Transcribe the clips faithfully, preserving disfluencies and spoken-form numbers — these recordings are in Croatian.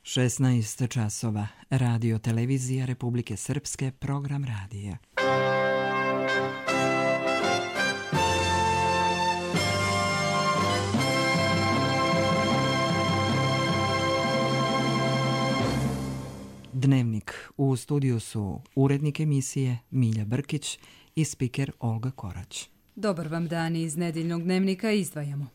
šesnaest časova. Radio televizija Republike Srpske, program radija. Dnevnik. U studiju su urednik emisije Milja Brkić i spiker Olga Korać. Dobar vam dan, iz nedeljnog dnevnika izdvajamo.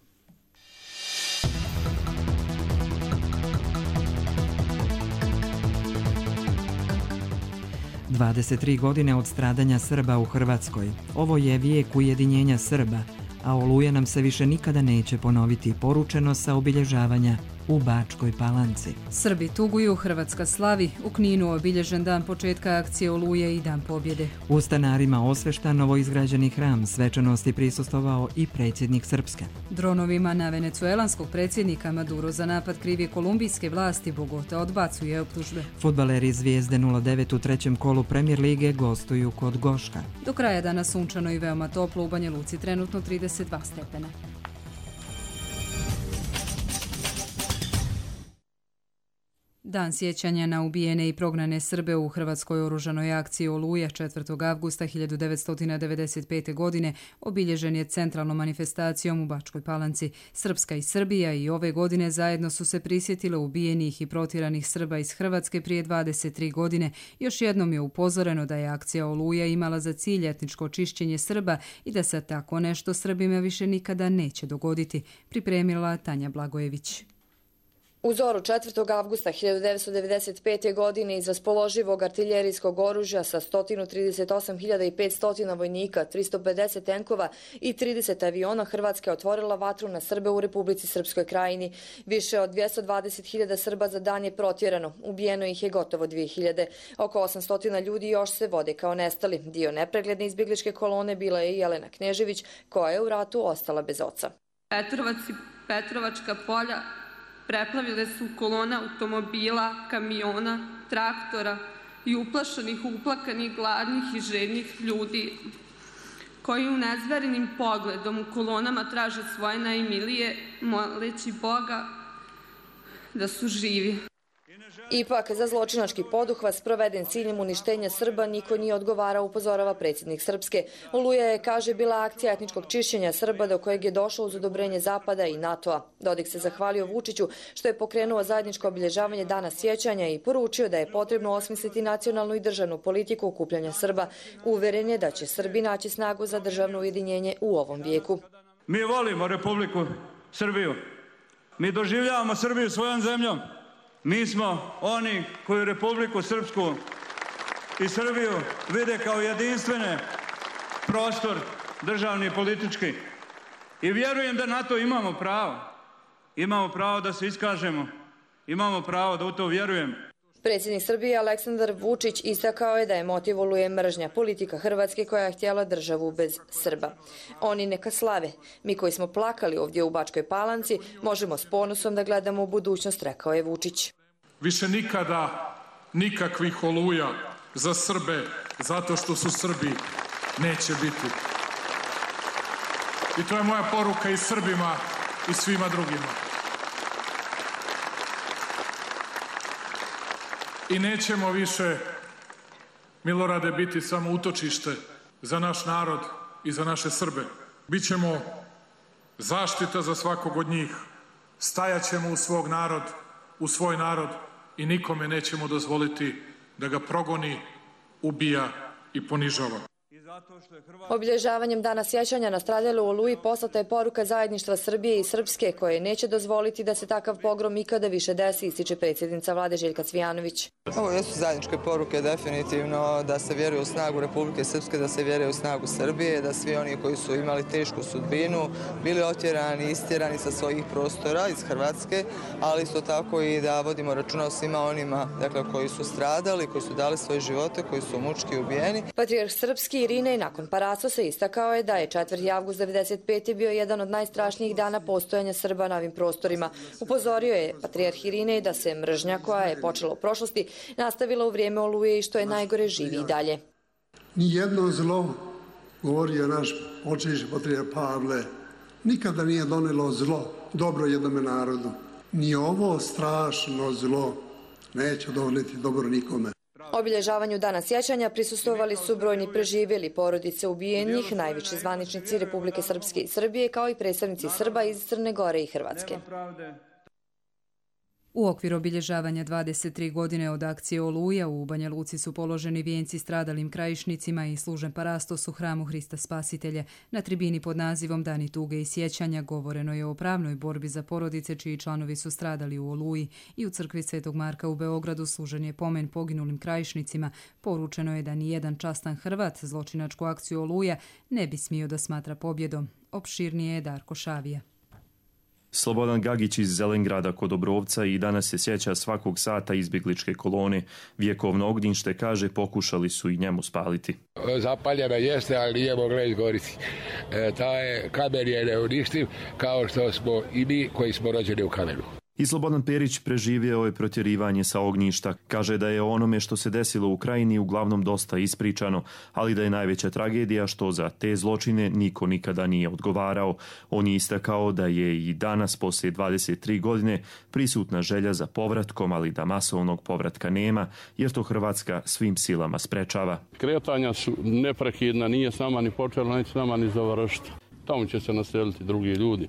dvadeset tri godine od stradanja Srba u Hrvatskoj. Ovo je vijek ujedinjenja Srba, a Oluja nam se više nikada neće ponoviti, poručeno sa obilježavanja u Bačkoj Palanci. Srbi tuguju, Hrvatska slavi. U Kninu obilježen dan početka akcije Oluje i dan pobjede. U Stanarima osveštan novoizgrađeni hram, svečanosti prisustvovao i predsjednik Srpske. Dronovima na venecuelanskog predsjednika Maduro za napad krivi kolumbijske vlasti, Bogota odbacuje optužbe. Fudbaleri Zvijezde nula devet u trećem kolu Premier lige gostuju kod Goška. Do kraja dana sunčano i veoma toplo, u Banja Luci trenutno trideset dva stepena. Dan sjećanja na ubijene i prognane Srbe u hrvatskoj oružanoj akciji Oluja četvrtog avgusta hiljadu devetsto devedeset pete. godine obilježen je centralnom manifestacijom u Bačkoj Palanci. Srpska i Srbija i ove godine zajedno su se prisjetile ubijenih i protjeranih Srba iz Hrvatske prije dvadeset tri godine. Još jednom je upozoreno da je akcija Oluja imala za cilj etničko čišćenje Srba i da se tako nešto Srbima više nikada neće dogoditi, pripremila Tanja Blagojević. U zoru četvrtog avgusta hiljadu devetsto devedeset pete. godine iz raspoloživog artiljerijskog oružja sa sto trideset osam hiljada petsto vojnika, tristo pedeset tenkova i trideset aviona Hrvatska je otvorila vatru na Srbe u Republici Srpskoj Krajini. Više od dvjesto dvadeset hiljada Srba za dan je protjerano. Ubijeno ih je gotovo dvije hiljade. Oko osamsto ljudi još se vode kao nestali. Dio nepregledne izbjegličke kolone bila je i Jelena Knežević, koja je u ratu ostala bez oca. Petrovac i Petrovačka polja preplavile su kolona automobila, kamiona, traktora i uplašenih, uplakanih, gladnih i žednih ljudi koji u nezverenim pogledom u kolonama traže svoje najmilije, moleći Boga da su živi. Ipak, za zločinački poduhvat sproveden ciljem uništenja Srba niko nije odgovarao, upozorava predsjednik Srpske. Oluja je, kaže, bila akcija etničkog čišćenja Srba do kojeg je došlo uz odobrenje Zapada i NATO-a. Dodik se zahvalio Vučiću što je pokrenuo zajedničko obilježavanje dana sjećanja i poručio da je potrebno osmisliti nacionalnu i državnu politiku okupljanja Srba. Uveren je da će Srbi naći snagu za državno ujedinjenje u ovom vijeku. Mi volimo Republiku Srbiju. Mi doživljavamo Srbiju svojom zemljom. Mi smo oni koji Republiku Srpsku i Srbiju vide kao jedinstvene prostor državni i politički. I vjerujem da na to imamo pravo. Imamo pravo da se iskažemo. Imamo pravo da u to vjerujem. Predsjednik Srbije Aleksandar Vučić istakao je da je motiv Oluje mržnja, politika Hrvatske koja je htjela državu bez Srba. Oni neka slave. Mi koji smo plakali ovdje u Bačkoj Palanci možemo s ponosom da gledamo u budućnost, rekao je Vučić. Više nikada nikakvih Oluja za Srbe zato što su Srbi neće biti. I to je moja poruka i Srbima i svima drugima. I nećemo više, Milorade, biti samo utočište za naš narod i za naše Srbe. Bićemo zaštita za svakog od njih. Stajaćemo u svog narod, u svoj narod i nikome nećemo dozvoliti da ga progoni, ubija i ponižava. Obilježavanjem dana sjećanja na stradale u Oluji poslata je poruka zajedništva Srbije i Srpske koje neće dozvoliti da se takav pogrom ikada više desi, ističe predsjednica vlade Željka Cvijanović. Ovo jesu zajedničke poruke definitivno da se vjeruje u snagu Republike Srpske, da se vjeruje u snagu Srbije, da svi oni koji su imali tešku sudbinu bili otjerani, istjerani sa svojih prostora iz Hrvatske, ali isto tako i da vodimo računa o svima onima, dakle, koji su stradali, koji su dali svoje živote, koji su mučki ubijeni. Patrijarh Srpski Irinej nakon Paracosa istakao je da je četvrti avgust devedeset pete. bio jedan od najstrašnijih dana postojanja Srba na ovim prostorima. Upozorio je patrijarh Irinej da se mržnja koja je počela u prošlosti nastavila u vrijeme Oluje i što je najgore živi i dalje. Nijedno zlo, govorio naš očeviši patrijarh Pavle, nikada nije donelo zlo dobro jednome narodu. Ni ovo strašno zlo neće doneti dobro nikome. Obilježavanju Dana sjećanja prisustvovali su brojni preživjeli, porodice ubijenih, najviši zvaničnici Republike Srpske i Srbije, kao i predstavnici Srba iz Crne Gore i Hrvatske. U okviru obilježavanja dvadeset tri godine od akcije Oluja u Banja Luci su položeni vijenci stradalim krajišnicima i služen parastos u hramu Hrista Spasitelja. Na tribini pod nazivom Dani tuge i sjećanja govoreno je o pravnoj borbi za porodice čiji članovi su stradali u Oluji i u crkvi Svetog Marka u Beogradu služen je pomen poginulim krajišnicima. Poručeno je da ni jedan častan Hrvat zločinačku akciju Oluja ne bi smio da smatra pobjedom. Opširnije je Darko Šavija. Slobodan Gagić iz Zelengrada kod Obrovca i danas se sjeća svakog sata izbjegličke kolone. Vjekovno ognjište, kaže, pokušali su i njemu spaliti. Zapaljena jeste, ali nije mogla izgoriti. E, taj kamen je neuništiv, kao što smo i mi koji smo rođeni u kamenu. I Slobodan Perić preživio je protjerivanje sa ognjišta. Kaže da je onome što se desilo u Krajini uglavnom dosta ispričano, ali da je najveća tragedija što za te zločine niko nikada nije odgovarao. On je istakao da je i danas, poslije dvadeset tri godine, prisutna želja za povratkom, ali da masovnog povratka nema, jer to Hrvatska svim silama sprečava. Kretanja su neprekidna, nije s nama ni počela, neće s nama ni završiti. Tamo će se naseliti drugi ljudi,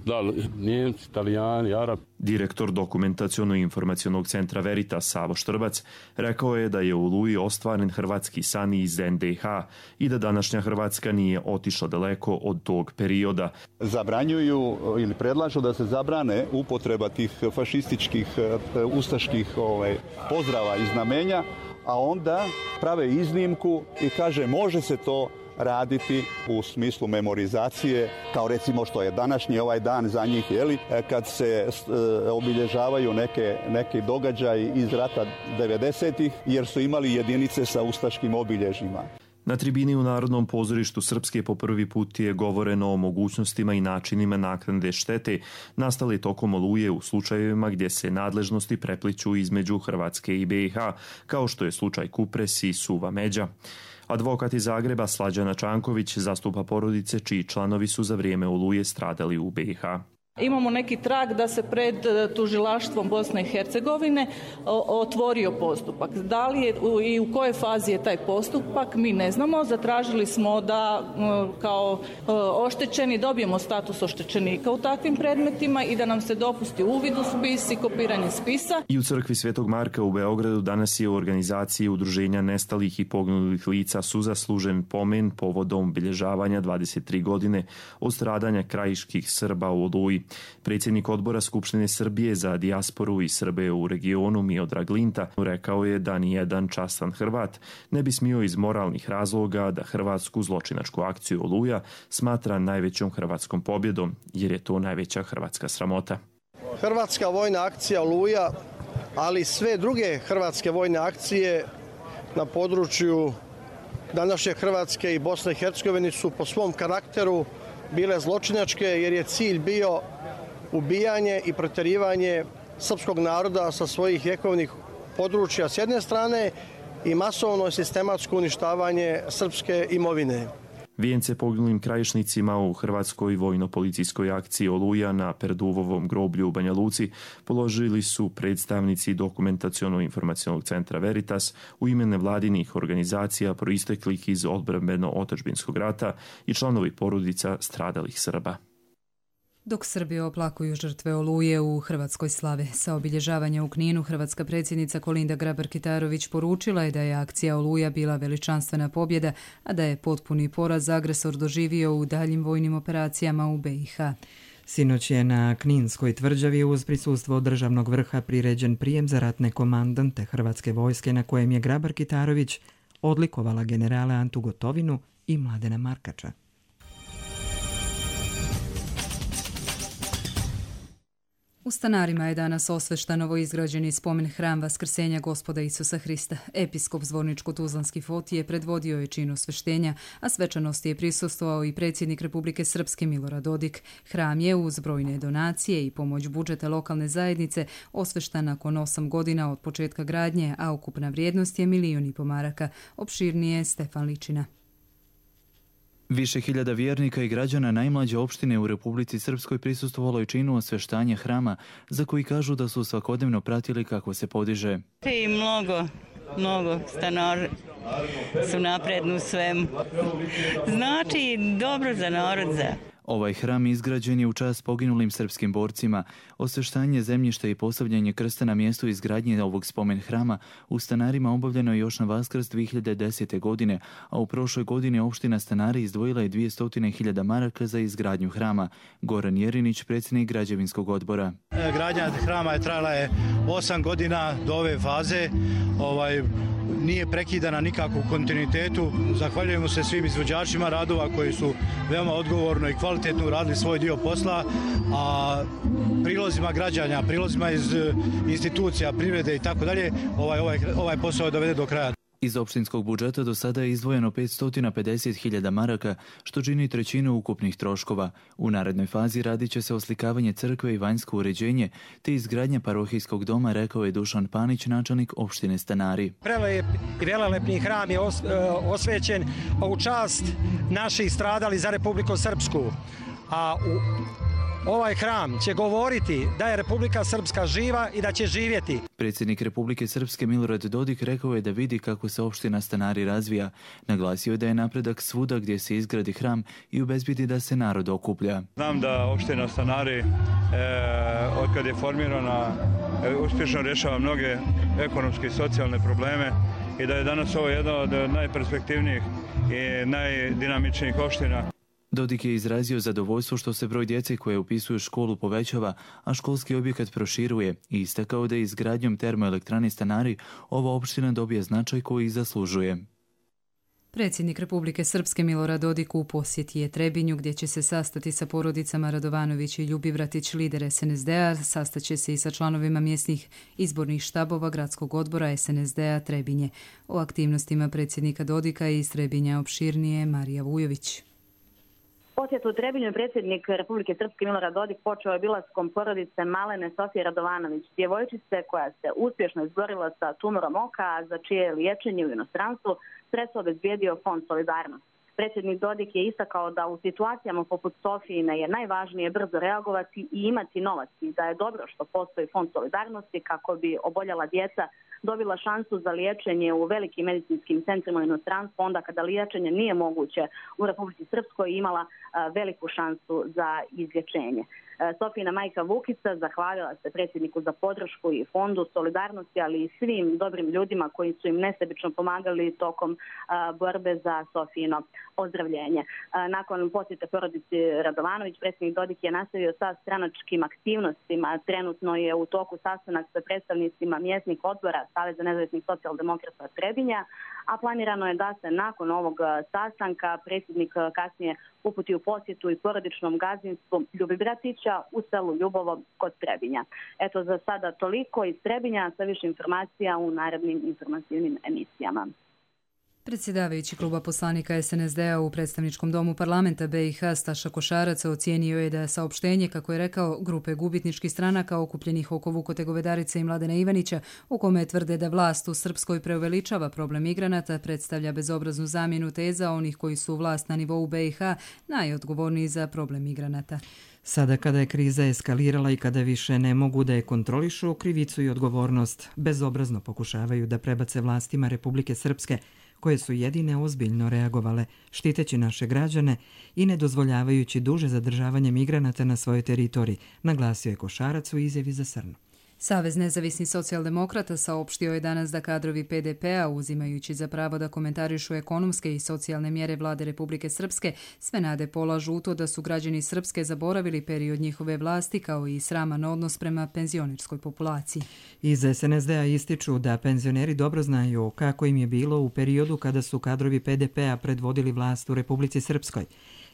da li Njemci, Italijani, Arabi. Direktor dokumentaciono-informacionog centra Veritas Savo Štrbac rekao je da je u Oluji ostvaren hrvatski san iz en de ha i da današnja Hrvatska nije otišla daleko od tog perioda. Zabranjuju ili predlažu da se zabrane upotreba tih fašističkih, ustaških ovaj, pozdrava i znamenja, a onda prave iznimku i kaže može se to raditi u smislu memorizacije, kao recimo što je današnji ovaj dan za njih, jeli, kad se e, obilježavaju neke, neke događaji iz rata devedesetih, jer su imali jedinice sa ustaškim obilježjima. Na tribini u Narodnom pozorištu Srpske po prvi put je govoreno o mogućnostima i načinima naknade štete nastale tokom Oluje u slučajevima gdje se nadležnosti prepliću između Hrvatske i be i ha, kao što je slučaj Kupres i Suva Međa. Advokat iz Zagreba Slađana Čanković zastupa porodice čiji članovi su za vrijeme Oluje stradali u be i ha. Imamo neki trag da se pred tužilaštvom Bosne i Hercegovine otvorio postupak. Da li je i u kojoj fazi je taj postupak, mi ne znamo. Zatražili smo da kao oštećeni dobijemo status oštećenika u takvim predmetima i da nam se dopusti uvid u spis i kopiranje spisa. I u crkvi Svetog Marka u Beogradu danas je u organizaciji Udruženja nestalih i poginulih lica su zaslužen pomen povodom obilježavanja dvadeset tri godine od stradanja krajiških Srba u Oluji. Predsjednik odbora Skupštine Srbije za dijasporu i Srbe u regionu Miodrag Linta rekao je da ni jedan častan Hrvat ne bi smio iz moralnih razloga da hrvatsku zločinačku akciju Oluja smatra najvećom hrvatskom pobjedom, jer je to najveća hrvatska sramota. Hrvatska vojna akcija Oluja, ali sve druge hrvatske vojne akcije na području današnje Hrvatske i Bosne i Hercegovine su po svom karakteru bile zločinačke, jer je cilj bio ubijanje i protjerivanje srpskog naroda sa svojih vjekovnih područja s jedne strane i masovno i sistematsko uništavanje srpske imovine. Vijence poginulim krajišnicima u hrvatskoj vojno-policijskoj akciji Oluja na Perduvovom groblju u Banja Luci položili su predstavnici dokumentaciono-informacionog centra Veritas u ime nevladinih organizacija proisteklih iz odbrambeno-otadžbinskog rata i članovi porodica stradalih Srba. Dok Srbi oplakuju žrtve Oluje u Hrvatskoj slave. Sa obilježavanja u Kninu hrvatska predsjednica Kolinda Grabar-Kitarović poručila je da je akcija Oluja bila veličanstvena pobjeda, a da je potpuni poraz agresor doživio u daljim vojnim operacijama u be i ha. Sinoć je na Kninskoj tvrđavi uz prisustvo državnog vrha priređen prijem za ratne komandante Hrvatske vojske na kojem je Grabar-Kitarović odlikovala generale Antu Gotovinu i Mladena Markača. U Stanarima je danas osveštan novoizgrađeni spomen hram Vaskrsenja Gospoda Isusa Hrista. Episkop Zvorničko-Tuzlanski Fotije predvodio je čin osveštenja, a svečanosti je prisustvovao i predsjednik Republike Srpske Milorad Dodik. Hram je uz brojne donacije i pomoć budžeta lokalne zajednice osveštan nakon osam godina od početka gradnje, a ukupna vrijednost je milijun i po maraka. Opširnije Stefan Ličina. Više hiljada vjernika i građana najmlađe opštine u Republici Srpskoj prisustvovalo je činu osveštanja hrama, za koji kažu da su svakodnevno pratili kako se podiže. I mnogo, mnogo stanara su napredni u svemu. Znači dobro za narod, za... Ovaj hram izgrađen je u čast poginulim srpskim borcima. Osveštanje zemljišta i postavljanje krsta na mjestu izgradnje ovog spomen hrama u Stanarima obavljeno je još na Vaskrs dvije hiljade desete. godine, a u prošloj godini opština Stanari izdvojila je dvjesto hiljada maraka za izgradnju hrama. Goran Jerinić, predsjednik građevinskog odbora. Gradnja hrama je trajala je osam godina do ove faze. Ovaj, nije prekidana nikako u kontinuitetu. Zahvaljujemo se svim izvođačima radova koji su veoma odgovorno i kvalitetno uradili svoj dio posla, a prilozima građana, prilozima iz institucija, privrede i tako dalje, ovaj, ovaj, ovaj posao je dovede do kraja. Iz opštinskog budžeta do sada je izdvojeno petsto pedeset hiljada maraka, što čini trećinu ukupnih troškova. U narednoj fazi radit će se oslikavanje crkve i vanjsko uređenje, te izgradnja parohijskog doma, rekao je Dušan Panić, načelnik opštine Stanari. Prelep i velelepni hram je os, osvećen u čast naših stradali za Republiku Srpsku, a u ovaj hram će govoriti da je Republika Srpska živa i da će živjeti. Predsjednik Republike Srpske Milorad Dodik rekao je da vidi kako se opština Stanari razvija. Naglasio je da je napredak svuda gdje se izgradi hram i obezbedi da se narod okuplja. Znam da opština Stanari, e, od kad je formirana, e, uspješno rješava mnoge ekonomske i socijalne probleme i da je danas ovo jedna od najperspektivnijih i najdinamičnijih opština. Dodik je izrazio zadovoljstvo što se broj djece koje upisuju školu povećava, a školski objekat proširuje i istakao da je izgradnjom termoelektrane Stanari ova opština dobije značaj koji zaslužuje. Predsjednik Republike Srpske Milorad Dodik u posjeti je Trebinju, gdje će se sastati sa porodicama Radovanović i Ljubivratić, lider es en es de a, sastaće se i sa članovima mjesnih izbornih štabova gradskog odbora es en es de a Trebinje. O aktivnostima predsjednika Dodika i iz Trebinja opširnije Marija Vujović. Posjet u Trebinju predsjednik Republike Srpske Milorad Dodik počeo je obilaskom porodice malene Sofije Radovanović, djevojčice koja se uspješno izborila sa tumorom oka, a za čije liječenje u inostranstvu sredstvo obezbijedio Fond Solidarnost. Predsjednik Dodik je istakao da u situacijama poput Sofijine je najvažnije brzo reagovati i imati novac i da je dobro što postoji Fond Solidarnosti kako bi oboljela djeca dobila šansu za liječenje u velikim medicinskim centrima u inostranstvu, onda kada liječenje nije moguće u Republici Srpskoj imala veliku šansu za izlječenje. Sofijina majka Vukica zahvalila se predsjedniku za podršku i Fondu Solidarnosti, ali i svim dobrim ljudima koji su im nesebično pomagali tokom borbe za Sofijino ozdravljenje. Nakon posjete porodici Radovanović, predsjednik Dodik je nastavio sa stranačkim aktivnostima. Trenutno je u toku sastanak sa predstavnicima mjesnih odbora Saveza nezavisnih socijaldemokrata Trebinja, a planirano je da se nakon ovog sastanka predsjednik kasnije uputi u posjetu i porodičnom gazdinstvu Ljubivratića u selu Ljubovo kod Trebinja. Eto, za sada toliko iz Trebinja, sa više informacija u narednim informativnim emisijama. Predsjedavajući kluba poslanika es en es de a u predstavničkom domu parlamenta be i ha Staša Košarac ocijenio je da saopštenje, kako je rekao, grupe gubitničkih stranaka okupljenih oko Vukote Govedarice i Mladena Ivanića, u kome tvrde da vlast u Srpskoj preuveličava problem migranata, predstavlja bezobraznu zamjenu teza onih koji su vlast na nivou be i ha najodgovorniji za problem migranata. Sada kada je kriza eskalirala i kada više ne mogu da je kontrolišu, krivicu i odgovornost bezobrazno pokušavaju da prebace vlastima Republike Srpske, koje su jedine ozbiljno reagovale, štiteći naše građane i ne dozvoljavajući duže zadržavanje migranata na svojoj teritoriji, naglasio je Košarac u izjavi za Srnu. Savez nezavisnih socijaldemokrata saopštio je danas da kadrovi pe de pe a, uzimajući za pravo da komentarišu ekonomske i socijalne mjere vlade Republike Srpske, sve nade polažu u to da su građani Srpske zaboravili period njihove vlasti, kao i sraman odnos prema penzionerskoj populaciji. Iz es en es de a ističu da penzioneri dobro znaju kako im je bilo u periodu kada su kadrovi pe de pe a predvodili vlast u Republici Srpskoj.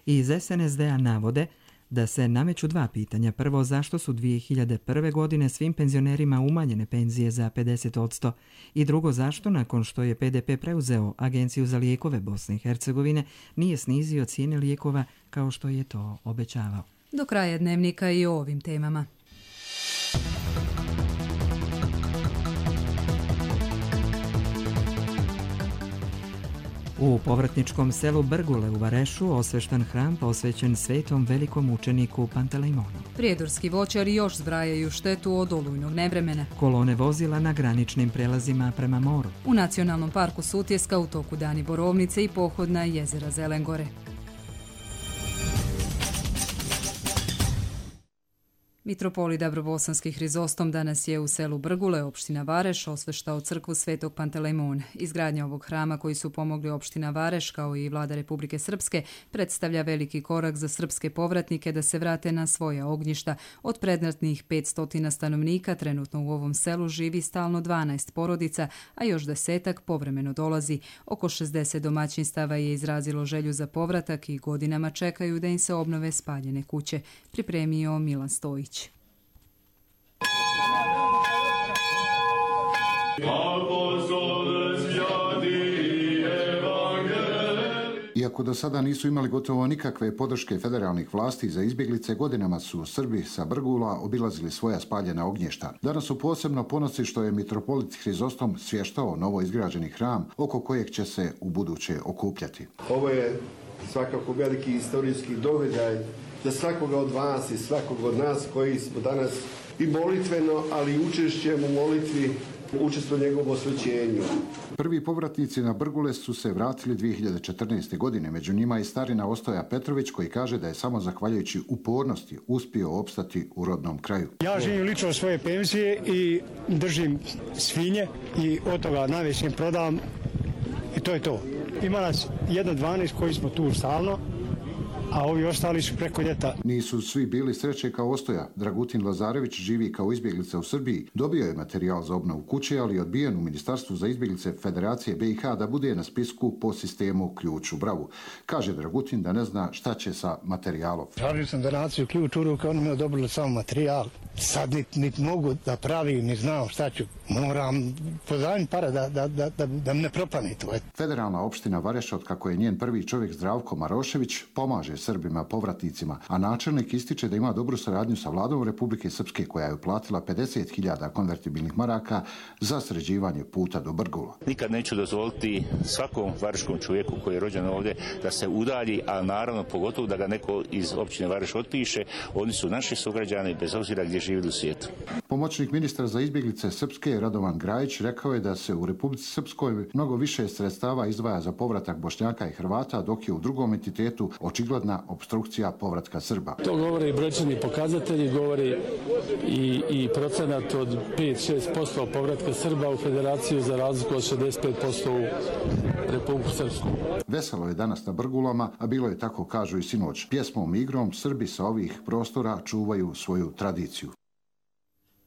Iz es en es de a navode da se nameću dva pitanja. Prvo, zašto su dvije hiljade prve. godine svim penzionerima umanjene penzije za pedeset odsto i drugo, zašto nakon što je pe de pe preuzeo Agenciju za lijekove Bosne i Hercegovine nije snizio cijene lijekova kao što je to obećavao. Do kraja dnevnika i o ovim temama. U povratničkom selu Brgule u Varešu osveštan hram posvećen svetom velikom učeniku Pantelejmonu. Prijedorski voćari još zbrajaju štetu od olujnog nevremena. Kolone vozila na graničnim prelazima prema moru. U Nacionalnom parku Sutjeska u toku Dani Borovnice i pohod na jezera Zelengore. Mitropolit Dabrobosanski Hrizostom danas je u selu Brgule, opština Vareš, osveštao crkvu Svetog Pantelejmona. Izgradnja ovog hrama koji su pomogli opština Vareš kao i vlada Republike Srpske predstavlja veliki korak za srpske povratnike da se vrate na svoja ognjišta. Od predratnih petsto stanovnika trenutno u ovom selu živi stalno dvanaest porodica, a još desetak povremeno dolazi. Oko šezdeset domaćinstava je izrazilo želju za povratak i godinama čekaju da im se obnove spaljene kuće. Pripremio Milan Stojić. Iako do sada nisu imali gotovo nikakve podrške federalnih vlasti za izbjeglice, godinama su Srbi sa Brgula obilazili svoja spaljena ognjišta. Danas su posebno ponosni što je mitropolit Hrizostom svještao novo izgrađeni hram oko kojeg će se u buduće okupljati. Ovo je svakako veliki istorijski događaj za svakoga od vas i svakog od nas koji smo danas i molitveno, ali i učešćem u molitvi učestvo njegovom osvećenju. Prvi povratnici na Brgule su se vratili dvije hiljade četrnaeste. godine. Među njima i starina Ostoja Petrović koji kaže da je samo zahvaljujući upornosti uspio opstati u rodnom kraju. Ja živim lično svoje penzije i držim svinje i od toga najvećim prodam i to je to. Ima nas jedno dvanaest koji smo tu stalno, a ovi ostali su preko ljeta. Nisu svi bili sreće kao Ostoja. Dragutin Lazarević živi kao izbjeglica u Srbiji. Dobio je materijal za obnovu kuće, ali je odbijen u Ministarstvu za izbjeglice Federacije B i H da bude na spisku po sistemu ključ u bravu. Kaže Dragutin da ne zna šta će sa materijalom. Tražio sam donaciju ključ u ruke, oni mi odobrili samo materijal. Sad nit, nit mogu da pravim, ni znam šta ću. Moram pozajmiti pare da, da, da, da, da ne propane to. Federalna opština Vareš, od kako je njen prvi čovjek Zdravko Marošević, pomaže Srbima povratnicima, a načelnik ističe da ima dobru saradnju sa vladom Republike Srpske koja je uplatila pedeset hiljada konvertibilnih maraka za sređivanje puta do Brgula. Nikad neću dozvoliti svakom vareškom čovjeku koji je rođen ovdje da se udalji, a naravno pogotovo da ga neko iz općine Vareš otpiše. Oni su naši sugrađani bez obzira gdje živi u svijetu. Pomoćnik ministra za izbjeglice Srpske Radovan Grajić rekao je da se u Republici Srpskoj mnogo više sredstava izdvaja za povratak Bošnjaka i Hrvata, dok je u drugom entitetu očigledna opstrukcija povratka Srba. To govore i brojčani pokazatelji, govori i, i procenat od pet do šest posto povratka Srba u Federaciju za razliku od šezdeset pet posto u Republiku Srpsku. Veselo je danas na Brgulama, a bilo je tako kažu i sinoć. Pjesmom i igrom Srbi sa ovih prostora čuvaju svoju tradiciju.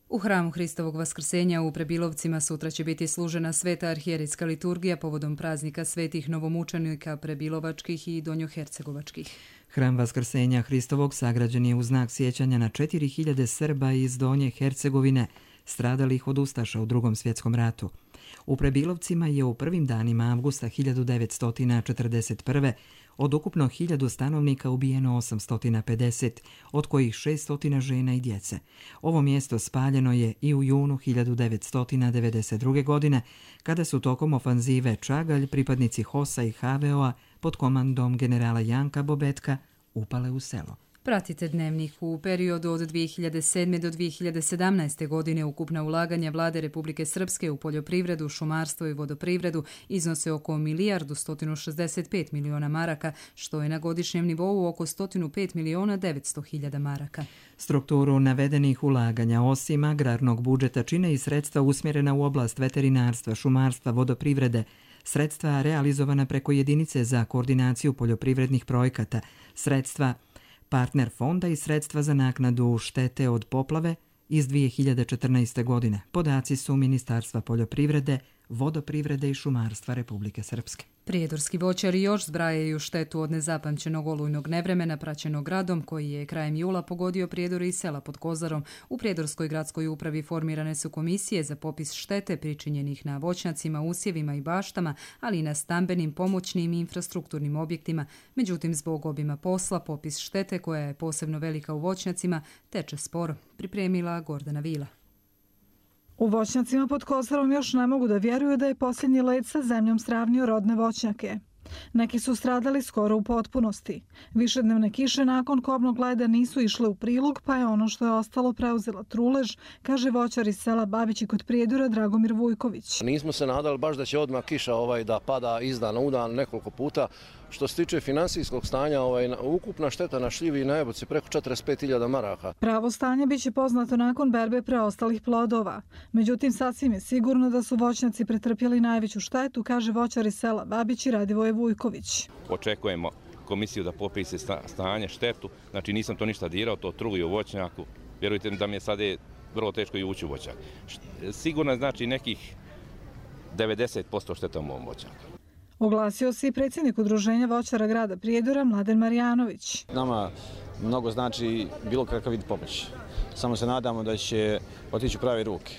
U hramu Hristovog vaskrsenja u Prebilovcima sutra će biti služena sveta arhijerijska liturgija povodom praznika svetih novomučenika prebilovačkih i donjohercegovačkih. Hram vaskrsenja Hristovog sagrađen je u znak sjećanja na četiri hiljade Srba iz Donje Hercegovine, stradalih od ustaša u Drugom svjetskom ratu. U Prebilovcima je u prvim danima avgusta hiljadu devetsto četrdeset prve. od ukupno hiljadu stanovnika ubijeno osamsto pedeset, od kojih šeststo žena i djece. Ovo mjesto spaljeno je i u junu hiljadu devetsto devedeset druge. godine, kada su tokom ofanzive Čagalj pripadnici Hosa i H V O-a pod komandom generala Janka Bobetka upale u selo. Pratite Dnevnik. U periodu od dvije hiljade sedme. do dvije hiljade sedamnaeste. godine ukupna ulaganja vlade Republike Srpske u poljoprivredu, šumarstvo i vodoprivredu iznose oko milijardu sto šezdeset pet miliona maraka, što je na godišnjem nivou oko sto pet miliona devetsto hiljada maraka. Strukturu navedenih ulaganja osim agrarnog budžeta čine i sredstva usmjerena u oblast veterinarstva, šumarstva, vodoprivrede, sredstva realizovana preko jedinice za koordinaciju poljoprivrednih projekata, sredstva partner fonda i sredstva za naknadu štete od poplave iz dvije hiljade četrnaeste. godine. Podaci su Ministarstva poljoprivrede, vodoprivrede i šumarstva Republike Srpske. Prijedorski voćari još zbrajaju štetu od nezapamćenog olujnog nevremena praćenog gradom koji je krajem jula pogodio Prijedore i sela pod Kozarom. U Prijedorskoj gradskoj upravi formirane su komisije za popis štete pričinjenih na voćnjacima, usjevima i baštama, ali i na stambenim, pomoćnim i infrastrukturnim objektima. Međutim, zbog obima posla, popis štete, koja je posebno velika u voćnjacima, teče sporo. Pripremila Gordana Vila. U voćnjacima pod Kozarom još ne mogu da vjeruju da je posljednji led sa zemljom sravnio rodne voćnjake. Neki su stradali skoro u potpunosti. Višednevne kiše nakon kobnog leda nisu išle u prilog, pa je ono što je ostalo preuzela trulež, kaže voćar iz sela Babići kod Prijedora Dragomir Vujković. Nismo se nadali baš da će odmah kiša ovaj, da pada iz dana u dan nekoliko puta. Što se tiče finansijskog stanja, ovaj, ukupna šteta na šljivi i na jabuci preko četrdeset pet hiljada maraka. Pravo stanje biće poznato nakon berbe preostalih plodova. Međutim, sasvim je sigurno da su voćnjaci pretrpjeli najveću štetu, kaže voćar iz sela Babići Radivoje Vujković. Očekujemo komisiju da popise stanje, štetu. Znači nisam to ništa dirao, to truji u voćnjaku. Vjerujte mi da mi je sada vrlo teško i ući u voćnjak. Sigurno znači nekih devedeset posto šteta u mom voćnjaku. Oglasio se i predsjednik udruženja voćara grada Prijedora Mladen Marijanović. Nama mnogo znači bilo kakav vid pomoći. Samo se nadamo da će otići u prave ruke,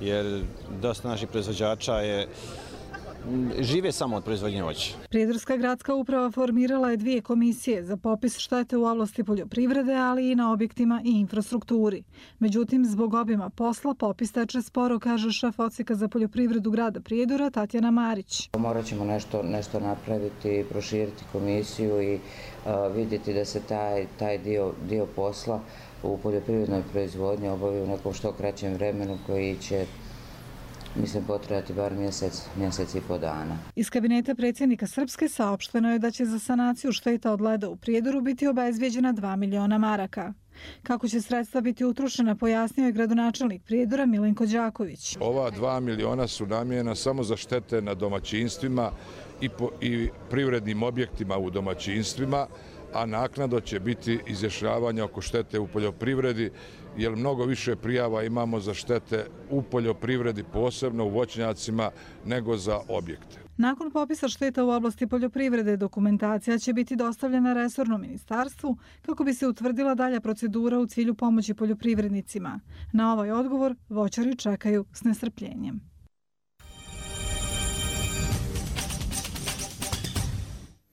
jer dosta naših proizvođača je žive samo od proizvodnje voća. Prijedorska gradska uprava formirala je dvije komisije za popis štete u oblasti poljoprivrede, ali i na objektima i infrastrukturi. Međutim, zbog obima posla popis teče sporo, kaže šef odsjeka za poljoprivredu grada Prijedora Tatjana Marić. Morat ćemo nešto, nešto napraviti, proširiti komisiju i uh, vidjeti da se taj, taj dio, dio posla u poljoprivrednoj proizvodnji obavi u nekom što kraćem vremenu koji će, mislim, potrebati bar mjesec, mjesec i po dana. Iz kabineta predsjednika Srpske saopšteno je da će za sanaciju šteta od leda u Prijedoru biti obezbijeđena dva miliona maraka. Kako će sredstva biti utrošena, pojasnio je gradonačelnik Prijedora Milenko Đaković. Ova dva miliona su namijena samo za štete na domaćinstvima i, po, i privrednim objektima u domaćinstvima, a naknadno će biti izjašnjavanje oko štete u poljoprivredi, jer mnogo više prijava imamo za štete u poljoprivredi, posebno u voćnjacima, nego za objekte. Nakon popisa šteta u oblasti poljoprivrede, dokumentacija će biti dostavljena resornom ministarstvu kako bi se utvrdila dalja procedura u cilju pomoći poljoprivrednicima. Na ovaj odgovor voćari čekaju s nestrpljenjem.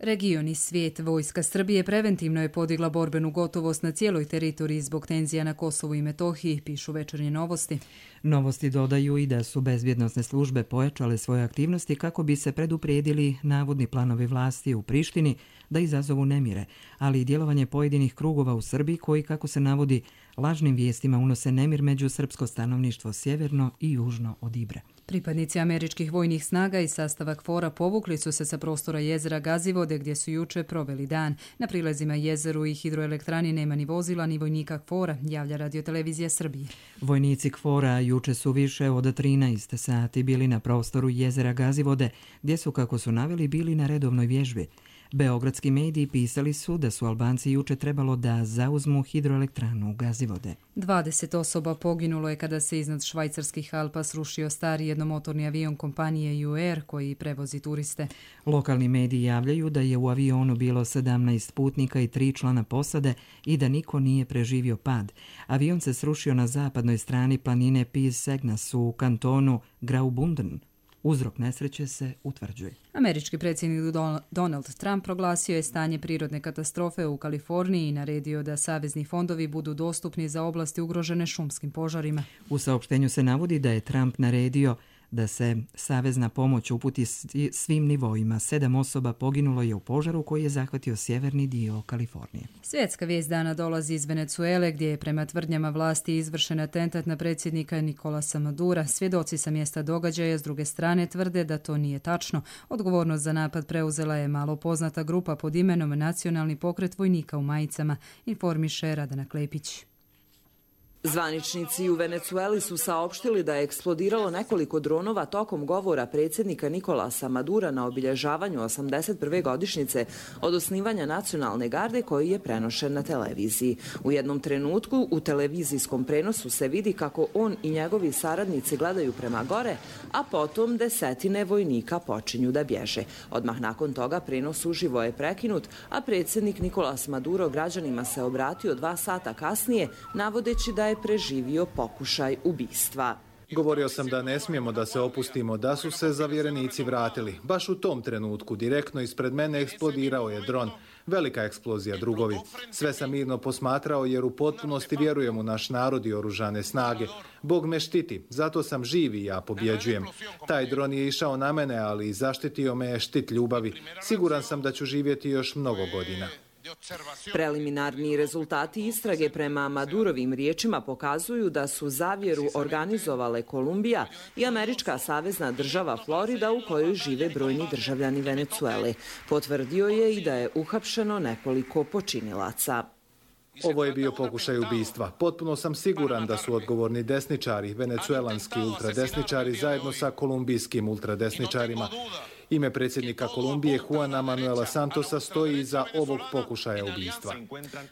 Region i svijet. Vojska Srbije preventivno je podigla borbenu gotovost na cijeloj teritoriji zbog tenzija na Kosovu i Metohiji, pišu Večernje novosti. Novosti dodaju i da su bezbjednosne službe pojačale svoje aktivnosti kako bi se preduprijedili navodni planovi vlasti u Prištini da izazovu nemire, ali i djelovanje pojedinih krugova u Srbiji koji, kako se navodi, lažnim vijestima unose nemir među srpsko stanovništvo sjeverno i južno od Ibre. Pripadnici američkih vojnih snaga i sastava KFOR-a povukli su se sa prostora jezera Gazivode gdje su juče proveli dan. Na prilazima jezeru i hidroelektrani nema ni vozila ni vojnika KFOR-a, javlja Radiotelevizija Srbije. Vojnici KFOR-a juče su više od trinaest sati bili na prostoru jezera Gazivode, gdje su, kako su naveli, bili na redovnoj vježbi. Beogradski mediji pisali su da su Albanci juče trebalo da zauzmu hidroelektranu Gazivode. dvadeset osoba poginulo je kada se iznad švajcarskih Alpa srušio stari jednomotorni avion kompanije U Air koji prevozi turiste. Lokalni mediji javljaju da je u avionu bilo sedamnaest putnika i tri člana posade i da niko nije preživio pad. Avion se srušio na zapadnoj strani planine Piz Segnas u kantonu Graubünden. Uzrok nesreće se utvrđuje. Američki predsjednik Donald Trump proglasio je stanje prirodne katastrofe u Kaliforniji i naredio da savezni fondovi budu dostupni za oblasti ugrožene šumskim požarima. U saopštenju se navodi da je Trump naredio da se savezna pomoć uputi svim nivoima. Sedam osoba poginulo je u požaru koji je zahvatio sjeverni dio Kalifornije. Svjetska vijest dana dolazi iz Venecuele, gdje je prema tvrdnjama vlasti izvršen atentat na predsjednika Nikolasa Madura. Svjedoci sa mjesta događaja s druge strane tvrde da to nije tačno. Odgovornost za napad preuzela je malo poznata grupa pod imenom Nacionalni pokret vojnika u majicama, informiše Radana Klepić. Zvaničnici u Venecueli su saopštili da je eksplodiralo nekoliko dronova tokom govora predsjednika Nikolasa Madura na obilježavanju osamdeset prve godišnjice od osnivanja nacionalne garde koji je prenošen na televiziji. U jednom trenutku u televizijskom prenosu se vidi kako on i njegovi saradnici gledaju prema gore, a potom desetine vojnika počinju da bježe. Odmah nakon toga prenos uživo je prekinut, a predsjednik Nikolas Maduro građanima se obratio dva sata kasnije, navodeći da je preživio pokušaj ubistva. Govorio sam da ne smijemo da se opustimo, da su se zavjerenici vratili. Baš u tom trenutku direktno ispred mene eksplodirao je dron. Velika eksplozija, drugovi. Sve sam mirno posmatrao jer u potpunosti vjerujem u naš narod i oružane snage. Bog me štiti, zato sam živ i ja pobjeđujem. Taj dron je išao na mene, ali zaštitio me je štit ljubavi. Siguran sam da ću živjeti još mnogo godina. Preliminarni rezultati istrage prema Madurovim riječima pokazuju da su zavjeru organizovale Kolumbija i američka savezna država Florida u kojoj žive brojni državljani Venecuele. Potvrdio je i da je uhapšeno nekoliko počinilaca. Ovo je bio pokušaj ubistva. Potpuno sam siguran da su odgovorni desničari, venecuelanski ultradesničari zajedno sa kolumbijskim ultradesničarima. Ime predsjednika Kolumbije Juana Manuela Santosa stoji iza ovog pokušaja ubistva.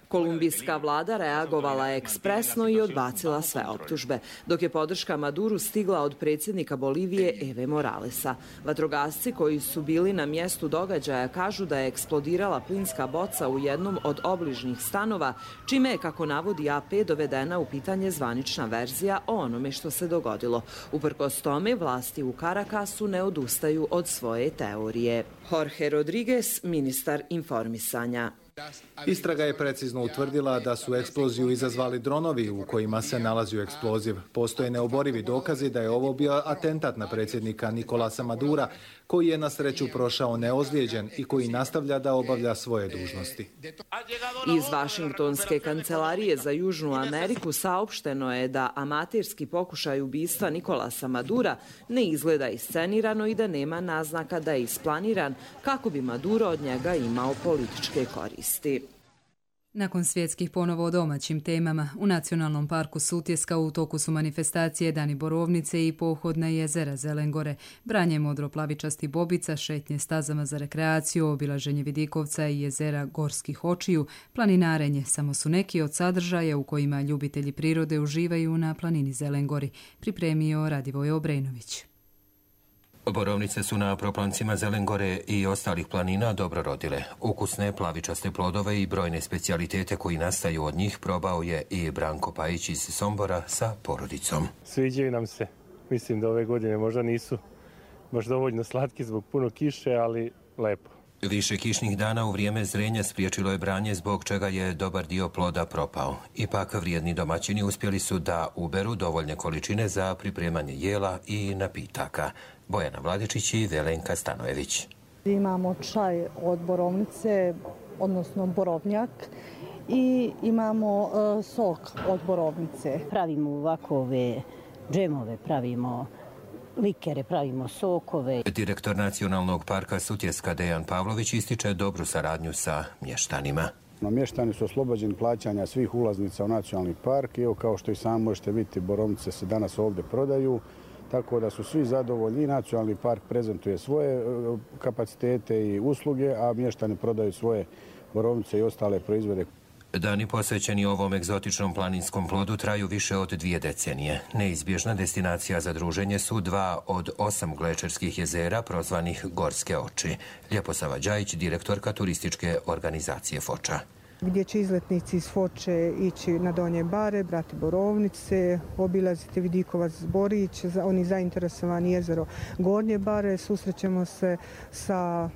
Kolumbijska vlada reagovala je ekspresno i odbacila sve optužbe, dok je podrška Maduru stigla od predsjednika Bolivije Eve Moralesa. Vatrogasci koji su bili na mjestu događaja kažu da je eksplodirala plinska boca u jednom od obližnjih stanova, čime je, kako navodi A P, dovedena u pitanje zvanična verzija o onome što se dogodilo. Uprkos tome, vlasti u Caracasu ne odustaju od svoje teorije. Jorge Rodriguez, ministar informisanja. Istraga je precizno utvrdila da su eksploziju izazvali dronovi u kojima se nalazio eksploziv. Postoje neoborivi dokazi da je ovo bio atentat na predsjednika Nikolasa Madura, koji je na sreću prošao neozlijeđen i koji nastavlja da obavlja svoje dužnosti. Iz Vašingtonske kancelarije za Južnu Ameriku saopšteno je da amaterski pokušaj ubistva Nikolasa Madura ne izgleda iscenirano i da nema naznaka da je isplaniran kako bi Maduro od njega imao političke koristi. Nakon svjetskih ponovo o domaćim temama, u Nacionalnom parku Sutjeska u toku su manifestacije Dani Borovnice i pohod na jezera Zelengore, branje modroplavičasti bobica, šetnje stazama za rekreaciju, obilaženje vidikovca i jezera Gorskih očiju, planinarenje samo su neki od sadržaja u kojima ljubitelji prirode uživaju na planini Zelengori, pripremio Radivoj Obrenović. Borovnice su na proplancima Zelengore i ostalih planina dobro rodile. Ukusne plavičaste plodove i brojne specijalitete koji nastaju od njih probao je i Branko Pajić iz Sombora sa porodicom. Sviđaju nam se. Mislim da ove godine možda nisu baš dovoljno slatki zbog puno kiše, ali lepo. Više kišnih dana u vrijeme zrenja spriječilo je branje, zbog čega je dobar dio ploda propao. Ipak vrijedni domaćini uspjeli su da uberu dovoljne količine za pripremanje jela i napitaka. Bojana Vladičić i Velenka Stanojević. Imamo čaj od borovnice, odnosno borovnjak, i imamo uh, sok od borovnice. Pravimo ovakove džemove, pravimo likere, pravimo sokove. Direktor Nacionalnog parka Sutjeska Dejan Pavlović ističe dobru saradnju sa mještanima. Mještani su oslobođeni plaćanja svih ulaznica u Nacionalni park i evo, kao što i sami možete vidjeti, borovnice se danas ovdje prodaju. Tako da su svi zadovoljni. Nacionalni park prezentuje svoje kapacitete i usluge, a mještani prodaju svoje borovnice i ostale proizvode. Dani posvećeni ovom egzotičnom planinskom plodu traju više od dvije decenije. Neizbježna destinacija za druženje su dva od osam glečerskih jezera prozvanih Gorske oči. Ljeposava Đajić, direktorka turističke organizacije Foča. Gdje će izletnici iz Foče ići na Donje Bare, brati borovnice, obilaziti Vidikovac, Zborić, oni zainteresovani jezero Gornje Bare, susrećemo se sa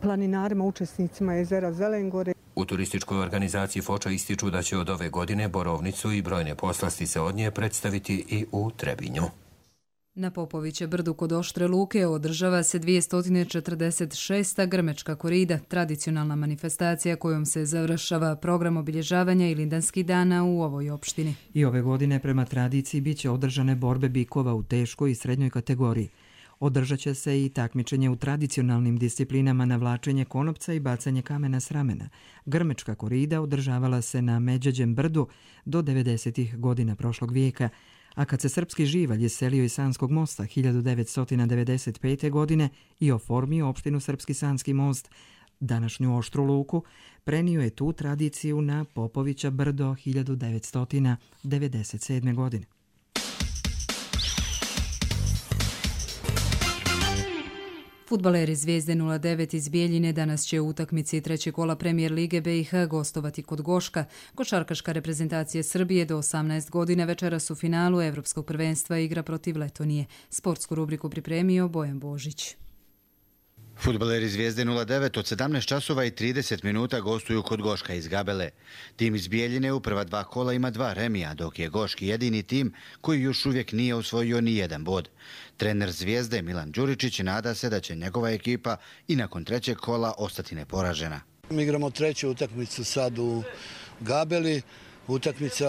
planinarima, učesnicima jezera Zelengore. U turističkoj organizaciji Foča ističu da će od ove godine borovnicu i brojne poslastice od nje predstaviti i u Trebinju. Na Popoviće brdu kod Oštre Luke održava se dvjesto četrdeset šesta Grmečka korida, tradicionalna manifestacija kojom se završava program obilježavanja Ilindanskih dana u ovoj opštini. I ove godine prema tradiciji bit će održane borbe bikova u teškoj i srednjoj kategoriji. Održat će se i takmičenje u tradicionalnim disciplinama navlačenje konopca i bacanje kamena s ramena. Grmečka korida održavala se na Međeđem brdu do devedesetih godina prošlog vijeka, a kad se srpski živalj iselio iz Sanskog mosta hiljadu devetsto devedeset pete. godine i oformio opštinu Srpski Sanski most, današnju Oštru Luku, prenio je tu tradiciju na Popovića brdo hiljadu devetsto devedeset sedme. godine. Fudbaleri Zvijezde nula devet iz Bijeljine danas će u utakmici trećeg kola Premijer Lige B i H gostovati kod Goška. Košarkaška reprezentacija Srbije do osamnaest godina večeras u finalu Evropskog prvenstva igra protiv Letonije. Sportsku rubriku pripremio Bojan Božić. Fudbaleri Zvijezde nula devet od sedamnaest časova i trideset minuta gostuju kod Goška iz Gabele. Tim iz Bijeljine u prva dva kola ima dva remija, dok je Goški jedini tim koji još uvijek nije osvojio ni jedan bod. Trener Zvijezde Milan Đuričić nada se da će njegova ekipa i nakon trećeg kola ostati neporažena. Mi igramo treću utakmicu sad u Gabeli. Utakmica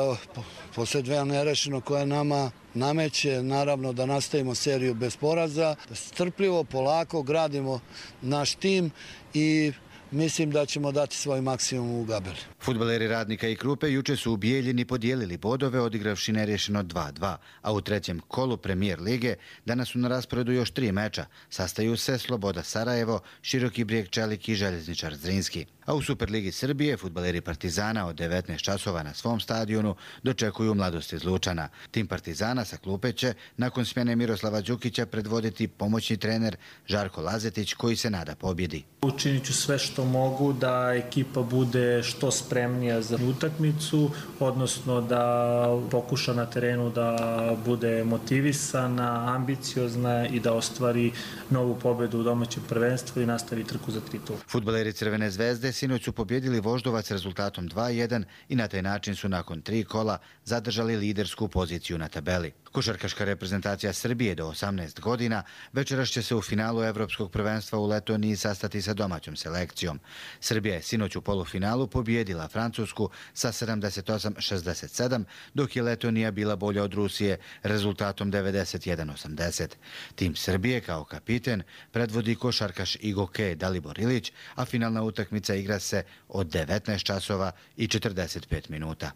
posle dve nerešeno koja nama nameće, naravno da nastavimo seriju bez poraza. Strpljivo, polako gradimo naš tim i mislim da ćemo dati svoj maksimum u Gabeli. Fudbaleri Radnika i Krupe juče su u Bijeljini podijelili bodove odigravši nerješeno dva dva, a u trećem kolu Premijer lige danas su na rasporedu još tri meča. Sastaju se Sloboda Sarajevo, Široki Brijeg Čelik i Željezničar Zrinski. A u Superligi Srbije fudbaleri Partizana od devetnaest časova na svom stadionu dočekuju Mladost iz Lučana. Tim Partizana sa klupe će nakon smjene Miroslava Đukića predvoditi pomoćni trener Žarko Lazetić koji se nada pobjedi. Učinit ću sve što mogu da ekipa bude što spremnija za utakmicu, odnosno da pokuša na terenu da bude motivisana, ambiciozna i da ostvari novu pobjedu u domaćem prvenstvu i nastavi trku za titul. Fudbaleri Crvene zvezde sinoć su pobjedili Voždovac rezultatom dva jedan i na taj način su nakon tri kola zadržali lidersku poziciju na tabeli. Košarkaška reprezentacija Srbije do osamnaest godina večeras će se u finalu Evropskog prvenstva u Letoniji sastati sa domaćom selekcijom. Srbija je sinoć u polufinalu pobjedila Francusku sa sedamdeset osam šezdeset sedam, dok je Letonija bila bolja od Rusije rezultatom devedeset jedan osamdeset. Tim Srbije kao kapiten predvodi košarkaš Igoke Dalibor Ilić, a finalna utakmica igra se od devetnaest časova i četrdeset pet minuta.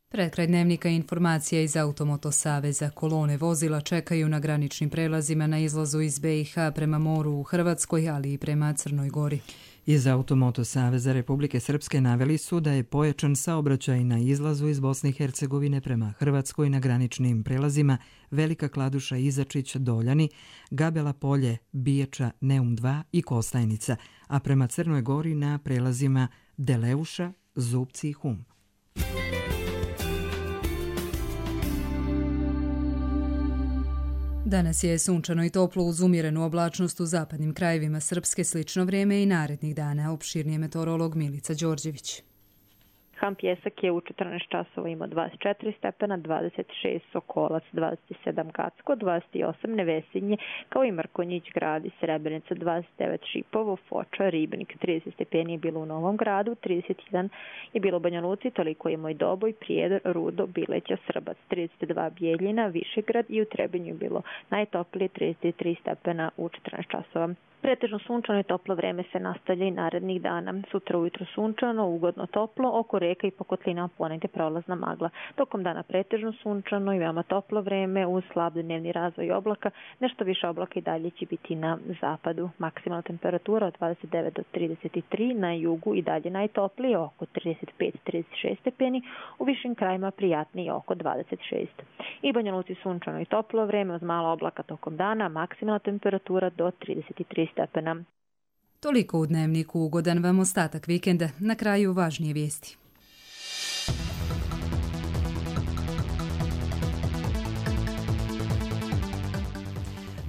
Pred kraj dnevnika informacija iz Automoto Saveza. Kolone vozila čekaju na graničnim prelazima na izlazu iz be i ha prema moru u Hrvatskoj, ali i prema Crnoj Gori. Iz Automoto Saveza Republike Srpske naveli su da je pojačan saobraćaj na izlazu iz Bosne i Hercegovine prema Hrvatskoj na graničnim prelazima Velika Kladuša, Izačić, Doljani, Gabela Polje, Biječa, Neum dva i Kostajnica, a prema Crnoj Gori na prelazima Deleuša, Zupci i Hum. Danas je sunčano i toplo uz umjerenu oblačnost u zapadnim krajevima Srpske, slično vrijeme i narednih dana. Opširnije meteorolog Milica Đorđević. Ham Pjesak je u četrnaest časova imao dvadeset četiri stepena, dvadeset šest Sokolac, dvadeset sedam Kacko, dvadeset osam Nevesinje, kao i Mrkonjić grad i Srebrenica, dvadeset devet Šipovo, Foča, Ribnik, trideset stepeni je bilo u Novom gradu, trideset jedan je bilo u Banja Luci, toliko je Moj Doboj, Prijedor, Rudo, Bileća, Srbac, trideset dva Bijeljina, Višegrad i u Trebinju je bilo najtoplije trideset tri stepena u četrnaest časova. Pretežno sunčano i toplo vreme se nastavlja i narednih dana. Sutra ujutro sunčano, ugodno toplo, oko reka i po kotlinama ponegde prolazna magla. Tokom dana pretežno sunčano i veoma toplo vreme uz slab dnevni razvoj oblaka. Nešto više oblaka i dalje će biti na zapadu. Maksimalna temperatura od dvadeset devet do trideset tri, na jugu i dalje najtoplije oko trideset pet do trideset šest stepeni, u višim krajima prijatnije oko dvadeset šest. I Banja Luci sunčano i toplo vreme uz malo oblaka tokom dana, maksimalna temperatura do trideset tri stepena. Toliko u dnevniku, ugodan vam ostatak vikenda, na kraju važnije vijesti.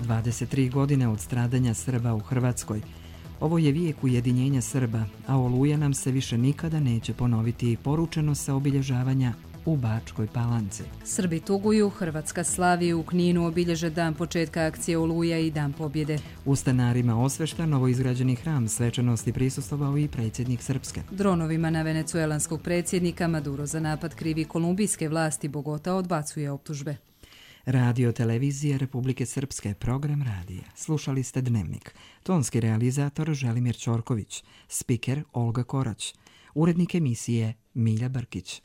dvadeset tri godine od stradanja Srba u Hrvatskoj. Ovo je vijek ujedinjenja Srba, a Oluja nam se više nikada neće ponoviti, poručeno sa obilježavanja u Bačkoj Palanci. Srbi tuguju, Hrvatska slavi, u Kninu obilježe dan početka akcije Oluja i dan pobjede. U Stanarima osveštan novoizgrađeni hram svečanosti prisustvovao i predsjednik Srpske. Dronovima na venecuelanskog predsjednika Maduro za napad krivi kolumbijske vlasti, Bogota odbacuje optužbe. Radio Televizije Republike Srpske, program radija. Slušali ste Dnevnik. Tonski realizator Želimir Ćorković, spiker Olga Korać, urednik emisije Milja Brkić.